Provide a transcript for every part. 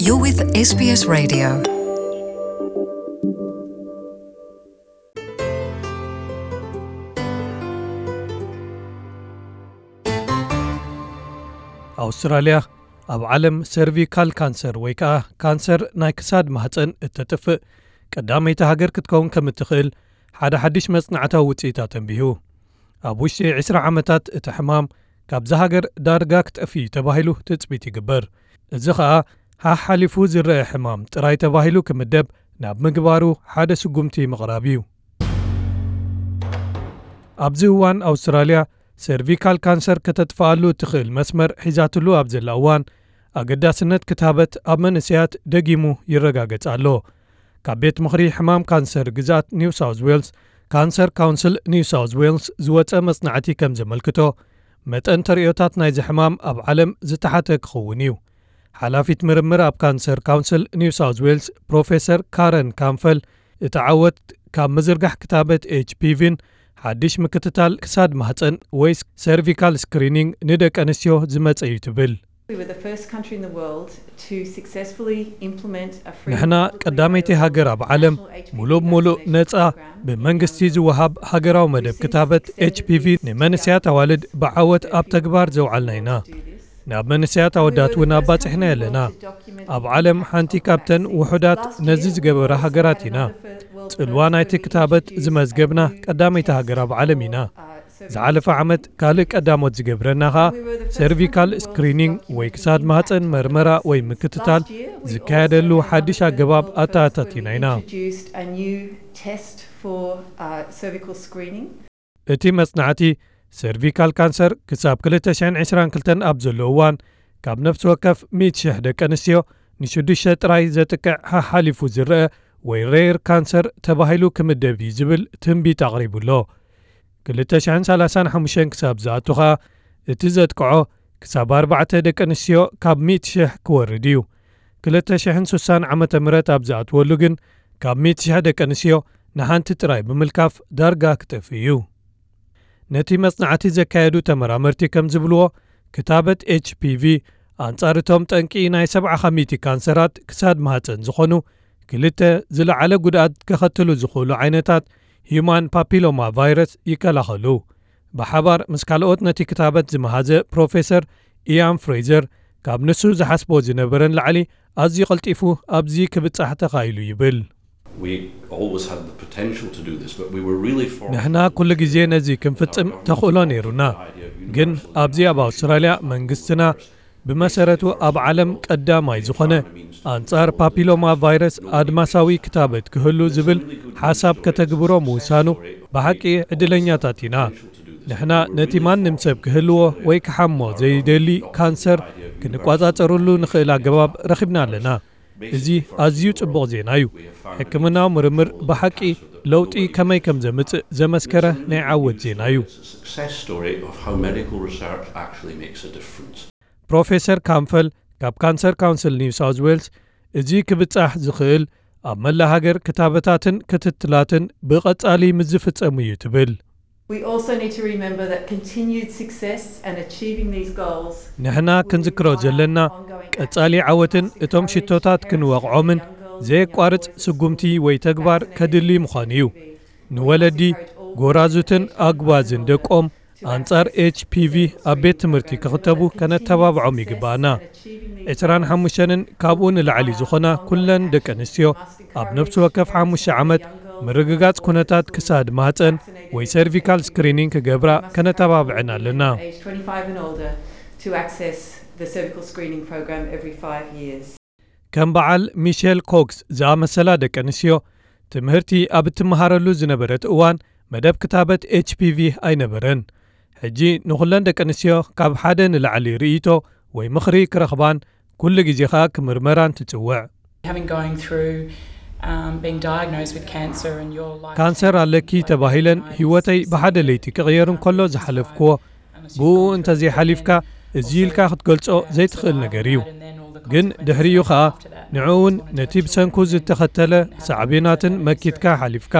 You're with S B S Radio. ኣውስትራልያ ኣብ ዓለም ሰርቪካል ካንሰር ወይ ከኣ ካንሰር ናይ ክሳድ ማህጸን እተጥፍእ ቀዳመይቲ ሃገር ክትከውን ከም እትኽእል ሓደ ሓድሽ መጽናዕታዊ ውጽኢት ኣተንቢሁ። ኣብ ውሽጢ ዕስራ ዓመታት እቲ ሕማም ካብዛ ሃገር ዳርጋ ክጠፍእ እዩ ተባሂሉ ትጽቢት ይግበር። እዚ ኸኣ ሓሓሊፉ ዝረአ ሕማም ጥራይ ተባሂሉ ክምደብ ናብ ምግባሩ ሓደ ስጉምቲ ምቕራብ እዩ። ኣብዚ እዋን ኣውስትራልያ ሰርቪካል ካንሰር ከተጥፍኣሉ እትኽእል መስመር ሒዛትሉ ኣብ ዘላ እዋን ኣገዳስነት ክታበት ኣብ መንእሰያት ደጊሙ ይረጋገጽ ኣሎ። ካብ ቤት ምኽሪ ሕማም ካንሰር ግዛት ኒው ሳውዝ ዌልስ፣ ካንሰር ካውንስል ኒው ሳውዝ ዌልስ ዝወጸ መጽናዕቲ ከም ዘመልክቶ፣ መጠን ተርእዮታት ናይዚ ሕማም ኣብ ዓለም ዝተሓተ ክኸውን እዩ። ሓላፊት ምርምር ኣብ ካንሰር ካውንስል ኒው ሳውዝ ዌልስ ፕሮፌሰር ካረን ካምፈል፣ እቲ ዓወት ካብ ምዝርጋሕ ክታበት ኤች ፒ ቪን ሓድሽ ምክትታል ክሳድ ማህጸን ወይ ሰርቪካል ስክሪኒንግ ንደቂ ኣንስትዮ ዝመጸ እዩ ትብል። We were the first country in the world to successfully implement a free ንሕና public ቀዳመይቲ referral ሃገር ኣብ ዓለም national H P V ሙሉእ ብሙሉእ vaccinations ነጻ program ብመንግስቲ ዝወሃብ ሃገራዊ መደብ ክታበት ኤች ፒ ቪ ንመንስያት ኣዋልድ ብዓወት ኣብ ተግባር ዘውዓልና ኢና። ናብ መንስያት ኣወዳት እውን ኣባጺሕና ኣለና። ኣብ ዓለም ሓንቲ ካብተን ውሑዳት ነዚ ዝገበራ ሃገራት ኢና። ጽልዋ ናይቲ ክታበት ዝመዝገብና ቀዳመይቲ ሃገር ኣብ ዓለም ኢና። ዝሓለፈ ዓመት ካልእ ቀዳሞት ዝገብረና ኸኣ ሰርቪካል ስክሪኒንግ ወይ ክሳድ ማህጸን መርመራ ወይ ምክትታል ዝካየደሉ ሓድሽ ኣገባብ ኣተኣታቲና ኢና። እቲ መጽናዕቲ ሰርቪካል ካንሰር ክሳብ ክልተ ሽሕን ዕስራን ክልተን ኣብ ዘሎ እዋን ካብ ነፍሲ ወከፍ ሚእቲ ሽሕ ደቂ ኣንስትዮ ንሽዱሽተ ጥራይ ዘጥቅዕ ሓሓሊፉ ዝረአ ወይ ሬር ካንሰር ተባሂሉ ክምደብ እዩ ዝብል ትንቢት ኣቕሪቡ ኣሎ። ክልተ ሽሕን ሰላሳን ሓሙሽተን ክሳብ ዝኣቱ ኸኣ እቲ ዘጥቅዖ ክሳብ ኣርባዕተ ደቂ ኣንስትዮ ካብ ሚእቲ ሽሕ ክወርድ እዩ። ክልተ ሽሕን ሱሳን ዓመተ ምህረት ኣብ ዝኣትወሉ ግን ካብ ሚእቲ ሽሕ ደቂ ኣንስትዮ ንሓንቲ ጥራይ ብምልካፍ ዳርጋ ክጠፍእ እዩ። ነቲ መጽናዕቲ ዘካየዱ ተመራመርቲ ከም ዝብልዎ፣ ክታበት ኤች ፒ ቪ ኣንጻር እቶም ጠንቂ ናይ ሰብዓ ከሚቲ ካንሰራት ክሳድ ማህጸን ዝኾኑ ክልተ ዝለዓለ ጉድኣት ከኸትሉ ዝኽእሉ ዓይነታት ሂዩማን ፓፒሎማ ቫይረስ ይከላኸሉ። ብሓባር ምስ ካልኦት ነቲ ክታበት ዝመሃዘ ፕሮፌሰር ኢያን ፍሬዘር፣ ካብ ንሱ ዝሓስቦ ዝነበረን ላዕሊ ኣዝዩ ቀልጢፉ ኣብዚ ክብጻሕ ተኻኢሉ ይብል። We always had the potential to do this, but we were really fortunate ንሕና ኩሉ ግዜ ነዚ ክንፍጽም ተኽእሎ ነይሩና። ግን ኣብዚ ኣብ ኣውስትራልያ መንግስትና ብመሰረቱ ኣብ ዓለም ቀዳማይ ዝኾነ ኣንጻር ፓፒሎማ ቫይረስ ኣድማሳዊ ክታበት ክህሉ ዝብል ሓሳብ ከተግብሮ ምውሳኑ ብሓቂ ዕድለኛታት ኢና። ንሕና ነቲ ማንም ሰብ ክህልዎ ወይ ክሓሞ ዘይደሊ ካንሰር ክንቋጻጸሩሉ ንኽእል ኣገባብ ረኺብና ኣለና። እዚ ኣዝዩ ጽቡቕ ዜና እዩ። ሕክምናዊ ምርምር ብሓቂ ለውጢ ከመይ ከም ዘምጽእ ዘመስከረ ናይ ዓወት ዜና እዩ። Success story of how medical research actually makes a difference. ፕሮፌሰር ካምፈል ካብ ካንሰር ካውንስል ኒው ሳውዝ ዌልስ፣ እዚ ክብጻሕ ዝኽእል ኣብ መላእ ሃገር ክታበታትን ክትትላትን ብቐጻሊ ምስ ዝፍጸሙ እዩ ትብል። We also need to remember that continued success and achieving these goals ንሕና ክንዝክሮ ዘለና ቀጻሊ ዓወትን እቶም ሽቶታት ክንወቕዖምን ዘየቋርጽ ስጉምቲ ወይ ተግባር ከድሊ ምዃኑ እዩ። ንወለዲ፣ ጎራዙትን ኣጉባዝን ደቆም ኣንጻር ኤች ፒ ቪ ኣብ ቤት ትምህርቲ ክኽተቡ ከነተባብዖም ይግባኣና። ዕስራን ሓሙሽተን ካብኡ ንላዕሊ ዝኾና ኩለን ደቂ ኣንስትዮ ኣብ ነፍሲ ወከፍ ሓሙሽተ ዓመት ምርግጋጽ ኩነታት ክሳድ ማህጸን ወይ ሰርቪካል ስክሪኒንግ ክገብራ ከነተባብዐን ኣለና። Age twenty-five and older to access the cervical screening program every five years. ከም በዓል ሚሼል ኮክስ ዝኣመሰላ ደቂ ኣንስትዮ ትምህርቲ ኣብ እትመሃረሉ ዝነበረት እዋን መደብ ክታበት ኤች ፒ ቪ ኣይነበረን። ሕጂ ንኹለን ደቂ ኣንስትዮ ካብ ሓደ ንላዕሊ ርእይቶ ወይ ምኽሪ ክረኽባን ኩሉ ግዜ ኸኣ ክምርመራን ትጽውዕ። Having going through um, being diagnosed with cancer and your life ካንሰር ኣለኪ ተባሂለን ህይወተይ ብሓደ ለይቲ ክቕየር እንከሎ ዝሓለፍክዎ፣ ብኡ እንተዘይሓሊፍካ እዚ ኢልካ ክትገልጾ ዘይትኽእል ነገር እዩ። ግን ድሕሪኡ ኸኣ ንዕኡን ነቲ ብሰንኩ ዝተኸተለ ሳዕቤናትን መኪትካ ሓሊፍካ።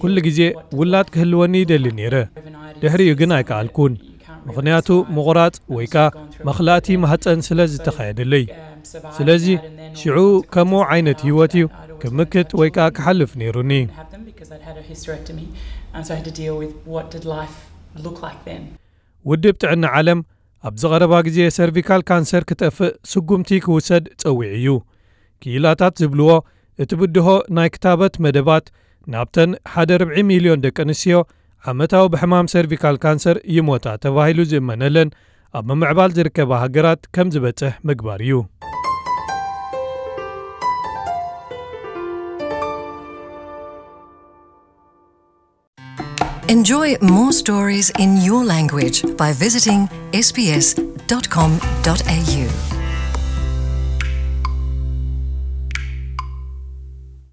ኩሉ ግዜ ውላድ ክህልወኒ ይደሊ ነይረ። ድሕሪኡ ግን ኣይከኣልኩን። ምኽንያቱ ምቑራጽ ወይ ከኣ መኽላእቲ ማህጸን ስለ ዝተኻየደለይ። ስለዚ ሽዑ ከምኡ ዓይነት ህይወት እዩ ክምክት ወይ ከኣ ክሓልፍ ነይሩኒ። Have them because I'd had a hysterectomy, and so I had to deal with what did life look like then. ውድብ ጥዕና ዓለም ኣብዚ ቐረባ ግዜ ሰርቪካል ካንሰር ክጠፍእ ስጉምቲ ክውሰድ ጸዊዑ እዩ። ክኢላታት ዝብልዎ እቲ ብድሆ ናይ ክታበት መደባት ናብተን ሓደ ርብዒ ሚልዮን ደቂ ኣንስትዮ ዓመታዊ ብሕማም ሰርቪካል ካንሰር ይሞታ ተባሂሉ ዝእመነለን ኣብ ምምዕባል ዝርከባ ሃገራት ከም ዝበጽሕ ምግባር እዩ። Enjoy more stories in your language by visiting sbs.com.au.